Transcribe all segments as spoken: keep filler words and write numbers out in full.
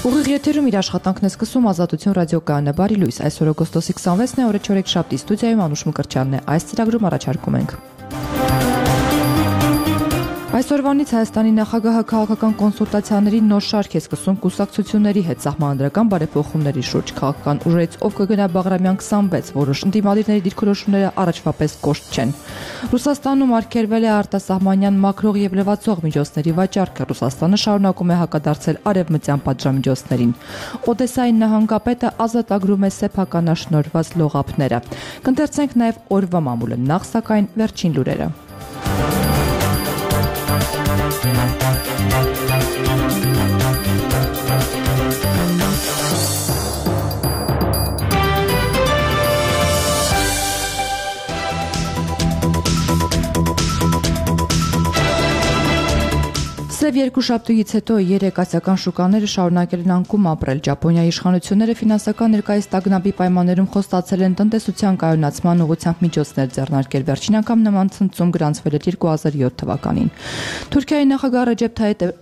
Ուղիղ եթերում իր աշխատանքն է սկսում Ազատություն ռադիոկայանը, բարի լույս, այսօր օգոստոսի քսանվեցն է, օրը չորեքշաբթի, ստուդիայում Անուշ Մկրտչյանն է, այս ծրագրում առաջարկում ենք. Այսօրվանից Հայաստանի նախագահը քաղաքական կոնսուլտացիաների նոր շարք է սկսում կուսակցությունների հետ սահմանադրական բարեփոխումների շուրջ, քաղաքական ուժերից ով կգնա Բաղրամյան քսանվեց, որոշ ընդդիմադիրների դիրքորոշումները առաջվա պես կոշտ չեն։ Ռուսաստանում արգելվել է արտասահմանյան մաքրող եւ լվացող միջոցների վաճառքը, Ռուսաստանը շարունակում է հակադարձել արևմտյան պատժամիջոցներին։ Օդեսայի նահանգապետը ազատագրում է սեփականաշնորհված լողափները։ Կընթերցենք նաեւ օրվա մամուլը, նախ սակայն վերջին լուրերը։ Սև երկուշաբթուից հետո երեք ասիական շուկաները շարունակել են անկում ապրել։ Ճապոնիայի իշխանությունները ֆինանսական ներկայիս տագնապի պայմաններում խոստացել են տնտեսության կայունացման ուղղությամբ միջոցներ ձեռնարկել։ Վերջին անգամ նման ցնցում գրանցվել էր երկու հազար յոթ թվականին։ Թուրքիայի նախագահ Ռեջեփ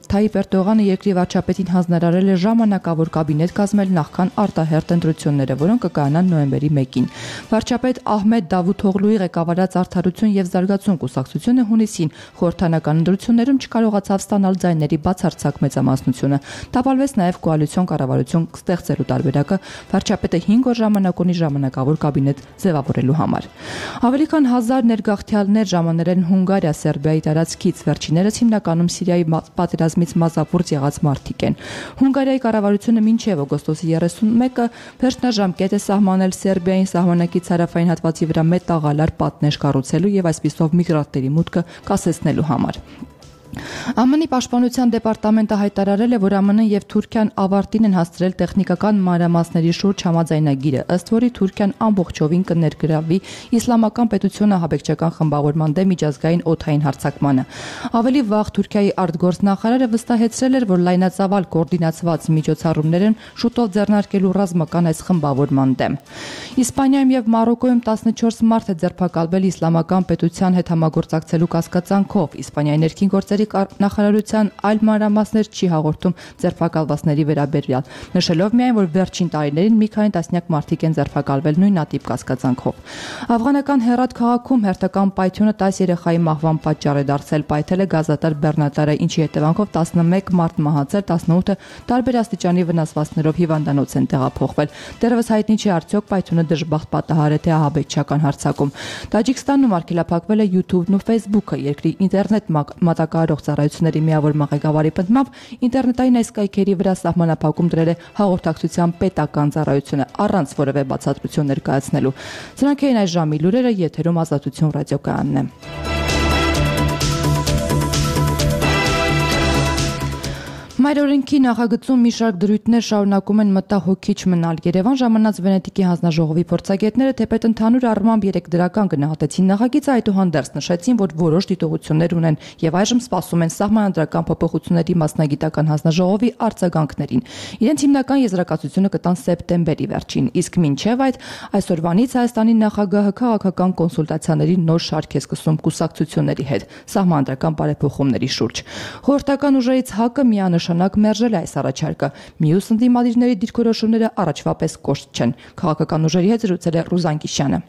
Թայիպ Էրդողանը երկրի վարչապետին հանձնարարել է ժամանակավոր կաբինետ կազմել նախքան արտահերթ ընտրությունները, որոնք կկայանան նոյեմբերի մեկին։ Վարչապետ Ահմեդ Դավութօղլուի ղեկավարած Արդարություն եւ զարգացում կուսակցությունը հունիսին խորհրդանական ընտրություններում չկարողացավ ստանալ ձայների բացարձակ մեծամասնությունը։ Տապալվեց նաև կոալիցիոն կառավարություն ստեղծելու տարբերակը վարչապետը հինգ օր ժամանակ ունի ժամանակավոր կաբինետ ձևավորելու համար։ Ավելի քան հազար ներգաղթյալներ ժամանել են Հունգարիա, Սերբիայի տարածքից, վերջիններս հիմնականում Սիրիայի պատերազմից մազապուրծ եղած մարդիկ են։ Հունգարիայի կառավարությունը մինչև օգոստոսի երեսունմեկը վերջնաժամկետ է սահմանել Սերբիային սահմանակից հարավային հատվածի վրա մետաղալար պատնեշ կառուցելու եւ այսպիսով միգրանտների մուտքը կասեցնելու համար։ ԱՄՆ-ի պաշտպանության դեպարտամենտը հայտարարել է, որ ԱՄՆ-ն եւ Թուրքիան ավարտին են հասցրել տեխնիկական մանրամասների շուրջ համաձայնագիրը, ըստ որի Թուրքիան ամբողջովին կներգրավվի իսլամական պետությունը հաբեկչական խմբավորման դեմ միջազգային օդային հարձակմանը։ Ավելի վաղ Թուրքիայի արտգործնախարարը վստահեցրել էր, որ լայնածավալ կոորդինացված միջոցառումներ են շուտով ձեռնարկելու ռազմական այս խմբավորման դեմ։ Իսպանիայում եւ Մարոկոյում տասնչորս մարդ է ձերբակալվել իսլամական պետության հետ համագործակցելու կասկածանքով։ Իսպանիայի ներքին գործերի նախարարության այլ մանրամասներ չի հաղորդում ձերբակալվածների վերաբերյալ, նշելով միայն, որ վերջին տարիներին մի քանի տասնյակ մարդիկ են ձերբակալվել նույնատիպ կասկածանքով։ Աֆղանական Հերաթ քաղաքում հերթական պայթյունը տասը երեխայի մահվան պատճառ է դարձել, պայթել է գազատար բեռնատարը, ինչի հետևանքով տասնմեկ մարդ մահացել, տասնութը տարբեր աստիճանի վնասվածքներով հիվանդանոց են տեղափոխվել։ Դեռևս հայտնի չէ արդյոք պայթյունը դժբախտ պատահար է թե ահաբեկչական հարձակում։ Տաջիկստանում արգելափակվել է YouTube-ն ու Facebook-ը, երկրի ինտերնետ մատակարարող ծառայությունների միավորման ղեկավարի պնդմամբ ինտերնետային այս կայքերի վրա սահմանափակում դրել է հաղորդակցության պետական ծառայությունը առանց որևէ բացատրություն ներկայացնելու։ Սրանք էին այս ժամի լուրերը, եթերում Ազատություն ռադիոկայանն է։ Մայրօրենքի նախագծում մի շարք դրույթներ շարունակում են մտահոգիչ մնալ։ Երևան ժամանած Վենետիկի հանձնաժողովի փորձագետները թեպետ ընդհանուր առմամբ երեք դրական գնահատեցին նախագիծը, այդուհանդերձ նշեցին, որ որոշ դիտողություններ ունեն եւ այժմ սպասում են սահմանադրական փոփոխությունների մասնագիտական հանձնաժողովի արձագանքներին։ Իրենց հիմնական եզրակացությունը կտան սեպտեմբերի վերջին, իսկ մինչև այդ այսօրվանից Հայաստանի նախագահը քաղաքական կոնսուլտացիաների նոր շարք է սկսում կուսակցությունների հետ սահմանադրական բարեփոխումների շուրջ։ Խորհրդական ուժերից ՀԱԿ-ը միանշանակ մերժել է այս առաջարկը։ Մյուս ընդդիմադիրների դիրքորոշումները առաջվա պես կոշտ չեն։ Քաղաքական ուժերի հետ զրուցել է Ռուզան Կիշյանը։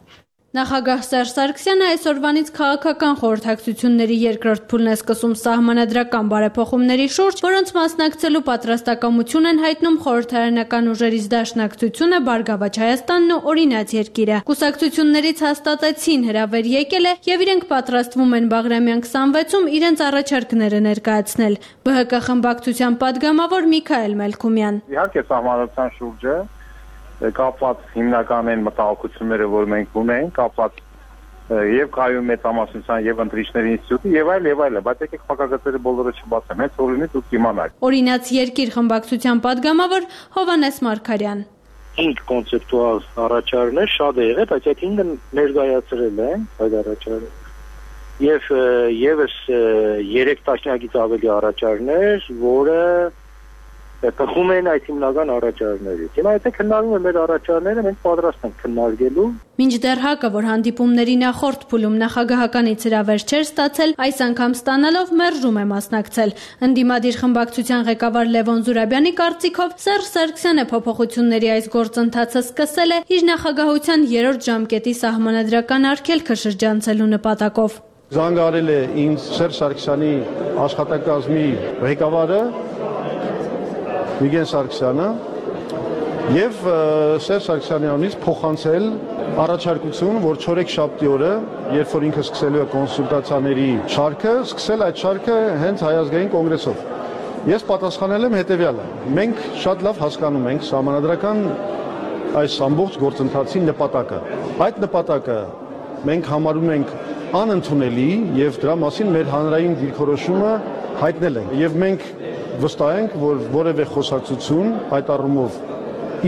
Նախագահ Սերժ Սարգսյանը այսօրվանից քաղաքական խորհրդակցությունների երկրորդ փուլն է սկսում սահմանադրական բարեփոխումների շուրջ, որոնց մասնակցելու պատրաստակամություն են հայտնում խորհրդարանական ուժերից Դաշնակցությունը, Բարգավաճ Հայաստանն ու Օրինաց երկիրը։ Կուսակցություններից հաստատեցին հրավեր եկել է եւ իրենք պատրաստվում են Բաղրամյան քսանվեցում իրենց առաջարկները ներկայացնել։ ԲՀԿ խմբակցության падգամավոր Միքայել Մելքումյան։ Իհարկե սահմանադրության շուրջը կապված հիմնական են մտահոգությունները, որ մենք ունենք, կապված եւ կայուն մեծամասնության եւ ընտրիչների ինստիտուտի եւ այլ եւ այլը, բայց եկեք փակագծերը բոլորը չբացեմ, հենց որ լինի դուք իմանաք։ Օրինաց երկիր խմբակցության падգամավոր Հովհաննես Մարգարյան։ Ինք կոնցեպտուալ առաջարկներ շատ է եղել, բայց այդ ինքը ներկայացրել են այդ առաջարկը։ Եվ եւս երեք տասնյակից ավելի առաջարկներ, որը Տխում են այդ հիմնական առաջարարներից։ Հիմա եթե քննարկում են մեր առաջարարները, մենք պատրաստ ենք քննարկելու։ Մինչդեռ ՀԱԿ-ը, որ հանդիպումների նախորդ փուլում նախագահականից հրավեր չէր ստացել, այս անգամ ստանալով մերժում է մասնակցել։ Ընդդիմադիր խմբակցության ղեկավար Լևոն Զուրաբյանի կարծիքով Սերժ Սարգսյանը փոփոխությունների այս գործընթացը սկսել է իր նախագահության երրորդ ժամկետի սահմանադրական արգելքը շրջանցելու նպատակով։ Զանգարել է ինձ Սերժ Սարգսյանի աշխատակազմի ղեկավարը Վիգեն Սարգսյանը եւ Սերժ Սարգսյանի անունից փոխանցել առաջարկություն, որ չորեքշաբթի օրը, երբ որ ինքը սկսելու է կոնսուլտացիաների շարքը, սկսել այդ շարքը հենց Հայազգային կոնգրեսով։ Ես պատասխանել եմ հետեւյալը. մենք շատ լավ հասկանում ենք սահմանադրական այս ամբողջ գործընթացի նպատակը։ Այդ նպատակը մենք համարում ենք անընդունելի եւ դրա մասին մեր հանրային դիրքորոշումը հայտնել ենք եւ մենք վստահ ենք, որ որևէ խոսակցություն այդ առումով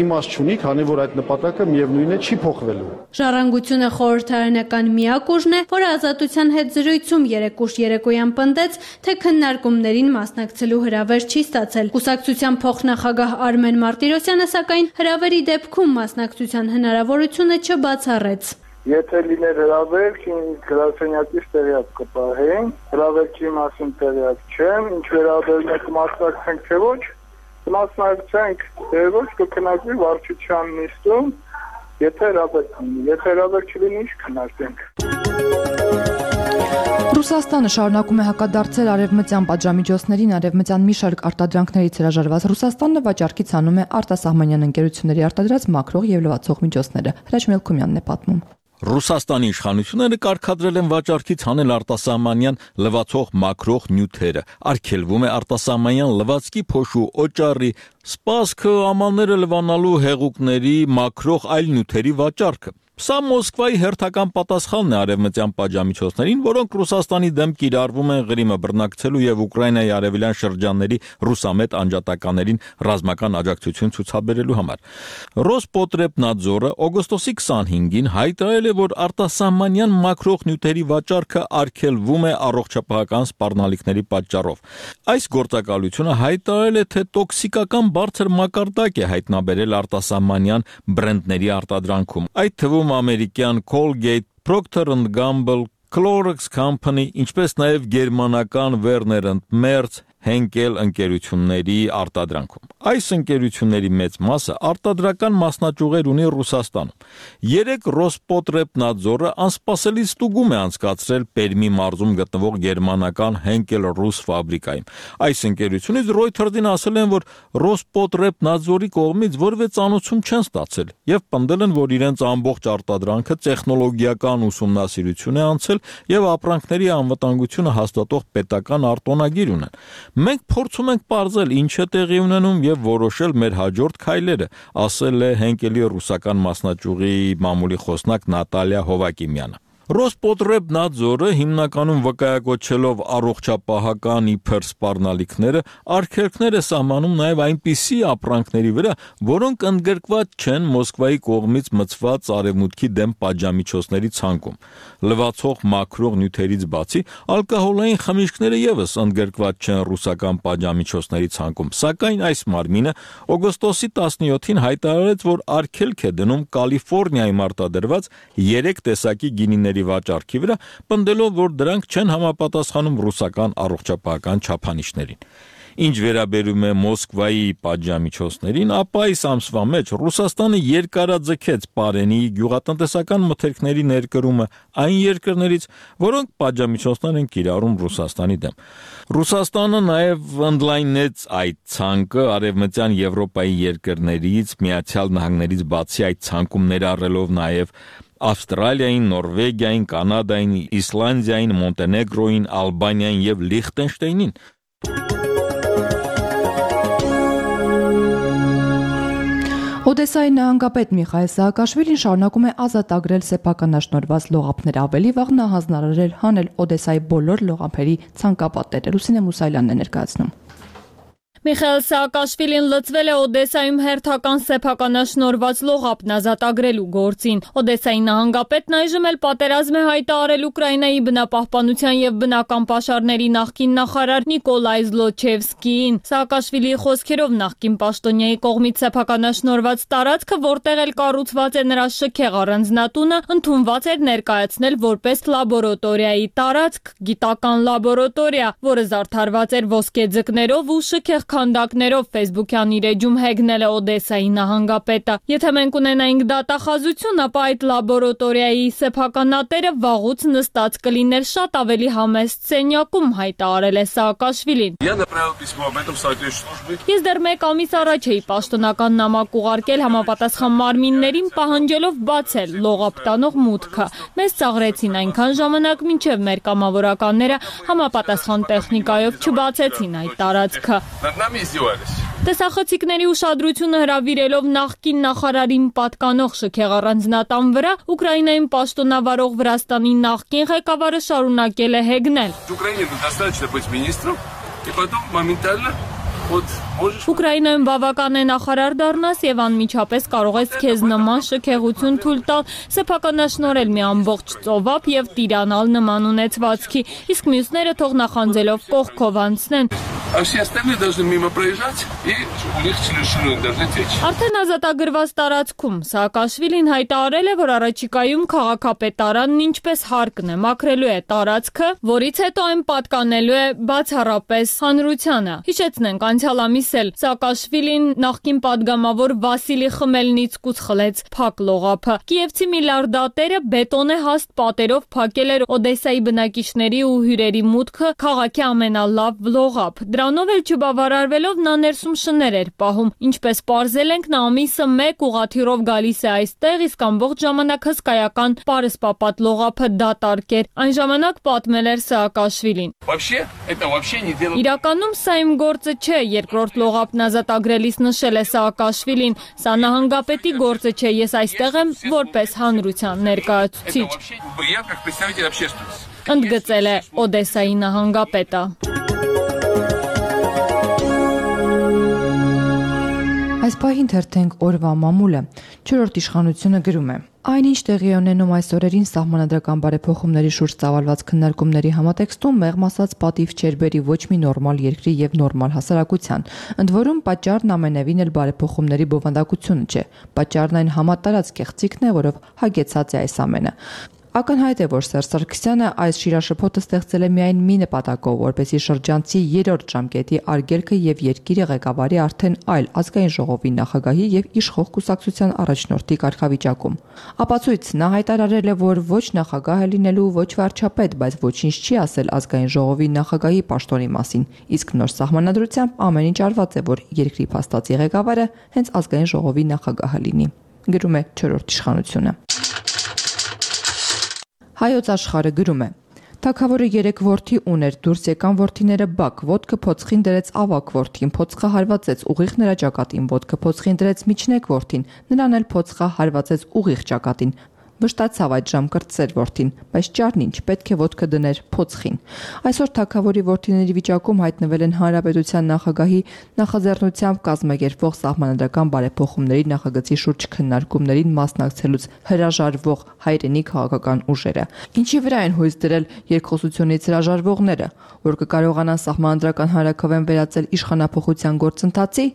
իմաստ չունի, քանի որ այդ նպատակը միևնույն է չի փոխվելու։ Ժառանգությունը խորհրդարանական միակ ուժն է, որը Ազատության հետ զրույցում երեկուշ երեկոյան պնդեց, թե քննարկումներին մասնակցելու հրավեր չի ստացել։ Կուսակցության փոխնախագահ Արմեն Մարտիրոսյանը սակայն հրավերի դեպքում մասնակցության հնարավորությունը չբացառեց։ Եթե լիներ հրավերք, գրասենյակից տեղյակ կպահեին, հրավերքի մասին տեղյակ չեմ, ինչ վերաբերում է կմասնակցենք թե ոչ, կմասնակցենք թե ոչ, կքննարկվի վարչության նիստում, եթե հրավերք լինի, եթե հրավերք չլինի, ինչ քննարկենք։ Ռուսաստանը շարունակում է հակադարձել արևմտյան պատժամիջոցներին, արևմտյան մի շարք արտադրանքներից հրաժարված Ռուսաստանը վաճառքից անում է արտասահմանյան ընկերությունների արտադրած մաքրող եւ լվացող միջոցները։ Հրաչ Մելքումյանն է պատմում։ Ռուսաստանի իշխանությունները կարգադրել են վաճառքից հանել արտասահմանյան լվացող մաքրող նյութերը։ Արգելվում է արտասահմանյան լվացքի, փոշու, օճառի, սպասքը, ամանները լվանալու հեղուկների, մաքրող այլ նյութերի վաճառքը։ Սա Մոսկվայի հերթական պատասխանն է արևմտյան պատժամիջոցներին, որոնք Ռուսաստանի դեմ կիրառվում են Ղրիմը բռնակցելու եւ Ուկրաինայի արևելյան շրջանների ռուսամետ անջատականերին ռազմական աջակցություն ցուցաբերելու համար։ Ռոսպոտրեբնadzorը օգոստոսի քսանհինգին հայտարարել է, որ արտասահմանյան մաքրող նյութերի վաճառքը արգելվում է առողջապահական սպառնալիքների պատճառով։ Այս գործակալությունը հայտարարել է, թե տոքսիկական բարձր մակարդակ է հայտնաբերել արտասահմանյան բրենդների արտադրանքում։ Այդ թվում ամերիկյան Colgate, Procter and Gamble, Clorox Company, ինչպես նաև գերմանական Werner and Merz, Henkel ընկերությունների արտադրանքում։ Այս ընկերությունների մեծ մասը արտադրական մասնաճյուղեր ունի Ռուսաստանում։ Երեք Ռոսպոտրեբնadzorը անսպասելի ստուգում է անցկացրել Պերմի մարզում գտնվող գերմանական Henkel ռուս ֆաբրիկայում։ Այս ընկերությունից Reuters-ին ասել են, որ Ռոսպոտրեբնadzorի կողմից որևէ ծանուցում չեն ստացել եւ պնդել են, որ իրենց ամբողջ արտադրանքը տեխնոլոգիական ուսումնասիրություն է անցել եւ ապրանքների անվտանգությունը հաստատող պետական արտոնագիր ունեն։ Մենք փորձում ենք պարզել ինչ է տեղի ունենում եւ որոշել մեր հաջորդ քայլերը, ասել է Հենկելի ռուսական մասնաճյուղի մամուլի խոսնակ Նատալիա Հովակիմյանը։ Ռոսպոտրեբնadzorը հիմնականում վկայակոչելով առողջապահական իբր սպառնալիքները արգելքներ է սահմանում նաև այնպիսի ապրանքների վրա, որոնք ընդգրկված չեն Մոսկվայի կողմից մցված արևմուտքի դեմ պատժամիջոցների ցանկում։ Լվացող մաքրող նյութերից բացի ալկոհոլային խմիչքները եւս ընդգրկված չեն ռուսական պատժամիջոցների ցանկում, սակայն այս մարմինը օգոստոսի տասնյոթին հայտարարեց, որ արգելք է դնում Կալիֆոռնիայում արտադրված երեք տեսակի գինիների վաճառքի վրա, պնդելով, որ դրանք չեն համապատասխանում ռուսական առողջապահական չափանիշներին։ Ինչ վերաբերում է Մոսկվայի պատժամիջոցներին, ապա այս ամսվա մեջ Ռուսաստանը երկարաձգեց Պարենի գյուղատնտեսական մթերքների ներկրումը այն երկրներից, որոնք պատժամիջոցներ են կիրառում Ռուսաստանի դեմ։ Ռուսաստանը նաև ընդլայնեց այդ ցանկը արևմտյան Եվրոպայի երկրներից, Միացյալ Նահանգներից բացի այդ ցանկում ներառելով նաև Ավստրալիային, Նորվեգիային, Կանադային, Իսլանդիային, Մոնտենեգրոյին, Ալբանիային եւ Լիխտենշտեյնին։ Օդեսայի նահանգապետ Միխայել Սահակաշվիլին շարունակում է ազատագրել սեփականաշնորհված լողափներ, ավելի վաղ նա հանձնարարել հանել Օդեսայի բոլոր լողափերի ցանկապատերը։ Լուսինե Մուսայելյանն է ներկայացնում։ Միխայել Սաակաշվիլին լծվել է Օդեսայում հերթական սեփականաշնորհված լողափն ազատագրելու գործին։ Օդեսայի նահանգապետն այժմ էլ պատերազմ է հայտարարել Ուկրաինայի բնապահպանության եւ բնական պաշարների նախկին նախարար Նիկոլայ Զլոչևսկիին։ Սաակաշվիլիի խոսքերով նախկին պաշտոնյայի կողմից սեփականաշնորհված տարածքը, որտեղ էլ կառուցված է նրա շքեղ առանձնատունը, ընդունված էր ներկայացնել որպես լաբորատորիայի տարածք, գիտական լաբորատորիա, որը զարդարված էր ոսկե ձկներով ու շքեղ քանդակներով Facebook-յան իր էջում հեգնել է Օդեսայի նահանգապետը։ Եթե մենք ունենայինք դատախազություն, ապա այդ լաբորատորիայի սեփականատերը վաղուց նստած կլիներ շատ ավելի համեստ սենյակում, հայտարարել է Սաակաշվիլին։ Ես դեռ մեկ ամիս առաջ էի պաշտոնական նամակ ուղարկել համապատասխան մարմիններին, պահանջելով բացել լողափ տանող մուտքը։ Մեզ ծաղրեցին այնքան ժամանակ, մինչև մեր կամավորականները համապատասխան տեխնիկայով չբացեցին այդ տարածքը։ Տեսախցիկների ուշադրությունը հրավիրելով նախկին նախարարին պատկանող շքեղ առանձնատան վրա, Ուկրաինայում պաշտոնավարող Վրաստանի նախկին ղեկավարը շարունակել է հեգնել։ Ուկրաինայում բավական է նախարար դառնաս եւ անմիջապես կարող ես քեզ նման շքեղություն թույլ տալ, սեփականաշնորհել մի ամբողջ ծովափ եւ տիրանալ նման ունեցվածքի, իսկ մյուսները թող նախանձելով կողքով անցնեն։ Արդեն ազատագրված տարածքում Սաակաշվիլին հայտարարել է, որ առաջիկայում քաղաքապետարանն ինչպես հարկն է մաքրելու է տարածքը, որից հետո այն պատկանելու է բացառապես հանրությանը։ Հիշեցնենք, անցյալ ամիս էլ Սաակաշվիլին նախկին падգամավոր Վասիլի Խմելնիցկուց խլեց փակ լողափը։ Կիևցի միլիարդատերը բետոնե հաստ պատերով փակել էր Օդեսայի բնակիչների ու հյուրերի մուտքը քաղաքի ամենալավ լողափ։ Դրանով էլ չբավարարվելով նա ներսում շներ էր պահում։ Ինչպես պարզել ենք, նա ամիսը մեկ ուղղաթիռով գալիս է այստեղ, իսկ ամբողջ ժամանակ հսկայական պարսպապատ լողափը դատարկ էր։ Այն ժամանակ պատմել էր Սաակաշվիլին։ Իրականում սա իմ գործը չէ, երկրորդ լողափն ազատագրելիս նշել է Սաակաշվիլին։ Սա նահանգապետի գործը չէ, ես այստեղ եմ որպես հանրության ներկայացուցիչ։ Ընդգծել է Օդեսայի նահանգապետը։ Այս պահին թերթենք օրվա մամուլը։ Չորրորդ իշխանությունը գրում է. Այնինչ տեղի է ունենում այս օրերին սահմանադրական բարեփոխումների շուրջ ծավալված քննարկումների համատեքստում մեղմ ասած պատիվ չէր բերի ոչ մի նորմալ երկրի եւ նորմալ հասարակության։ Ընդ որում պատճառն ամենևին էլ բարեփոխումների բովանդակությունը չէ։ Պատճառն այն համատարած կեղծիքն է, որով հագեցած է այս ամենը։ Ակնհայտ է, որ Սերժ Սարգսյանը այս շիրաշփոթը ստեղծել է միայն մի նպատակով, որպեսզի շրջանցի երրորդ ժամկետի արգելքը եւ երկիրը ղեկավարի արդեն այլ ազգային ժողովի նախագահի եւ իշխող կուսակցության առաջնորդի կարգավիճակում։ Ապացույց նա հայտարարել է, որ ոչ նախագահ է լինելու, ոչ վարչապետ, բայց ոչինչ չի ասել ազգային ժողովի նախագահի պաշտոնի մասին, իսկ նոր սահմանադրությամբ ամեն ինչ արված է, որ երկրի փաստացի ղեկավարը հենց ազգային ժողովի նախագահը լինի։ Գրում է չորրորդ իշխանությունը։ Հայոց աշխարհը գրում է. Թագավորը երեք որդի ուներ, դուրս եկան որդիները բակ, ոտքը փոցխին դրեց ավակ որդին, փոցխը հարվածեց ուղիղ նրա ճակատին, ոտքը փոցխին դրեց միջնեկ որդին, նրան էլ փոցխը հարվածեց ուղիղ ճակատին։ Վշտացավ այդ ժամ կրտսեր որդին, բայց ճարն ինչ, պետք է ոտքը դներ փոցխին։ Այսօր թագավորի որդիների վիճակում հայտնվել են հանրապետության նախագահի նախաձեռնությամբ կազմակերպվող սահմանադրական բարեփոխումների նախագծի շուրջ քննարկումներին մասնակցելուց հրաժարվող հայրենի քաղաքական ուժերը։ Ինչի վրա են հույս դրել երկխոսությունից հրաժարվողները, որ կկարողանան սահմանադրական հանրաքվեն վերածել իշխանափոխության գործընթացի։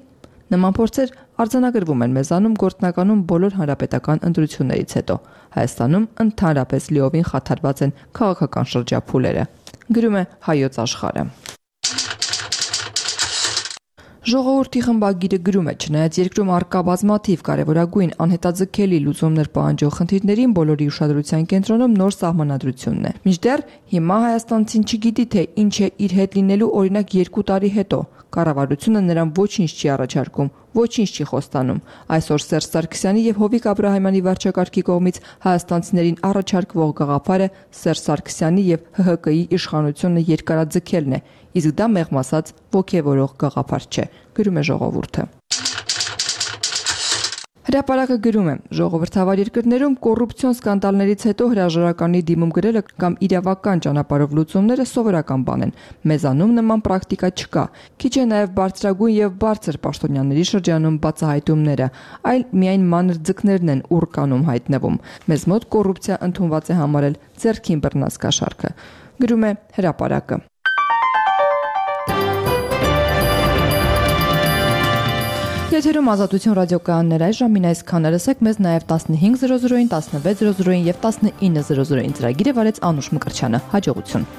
Նման փորձեր արձանագրվում են մեզանում գործնականում բոլոր հանրապետական ընտրություններից հետո։ Հայաստանում ընդհանրապես լիովին խաթարված են քաղաքական շրջափուլերը։ Գրում է Հայոց աշխարհը։ Ժողովրդի խմբագիրը գրում է, չնայած երկրում առկա բազմաթիվ կարևորագույն անհետաձգելի լուծումներ պահանջող խնդիրներին բոլորի ուշադրության կենտրոնում նոր սահմանադրությունն է։ Մինչդեռ հիմա հայաստանցին չգիտի, թե ինչ է իր հետ լինելու օրինակ երկու տարի հետո։ Կառավարությունը նրան ոչինչ չի առաջարկում, ոչինչ չի խոստանում։ Այսօր Սերժ Սարգսյանի եւ Հովիկ Աբրահամյանի վարչակարգի կողմից հայաստանցիներին առաջարկվող գաղափարը Սերժ Սարգսյանի եւ Հ Հ Կի իշխանությունը երկարաձգելն է, իսկ դա մեղմ ասած ոգևորող գաղափար չէ, գրում է Ժողովուրդը։ Հրապարակը գրում է. ժողովրդավար երկրներում կոռուպցիոն սկանդալներից հետո հրաժարականի դիմում գրելը կամ իրավական ճանապարհով լուծումները սովորական բան են։ Մեզանում նման պրակտիկա չկա։ Քիչ է նաև բարձրագույն եւ բարձր պաշտոնյաների շրջանում բացահայտումները, այլ միայն մանր ձկներն են ուռ կանում հայտնվում։ Մեզ մոտ կոռուպցիա ընդունված է համարել ձեռքին բռնած կաշառքը։ Գրում է Հրապարակը։ Եթերում Ազատություն ռադիոկայաններ այժմին այսքանը լսեք մեզ նաև տասնհինգ զրո զրոին, տասնվեց զրո զրոին եւ տասնինը զրո զրոին ծրագիրը վարեց Անուշ Մկրտչյանը։ Հաջողություն։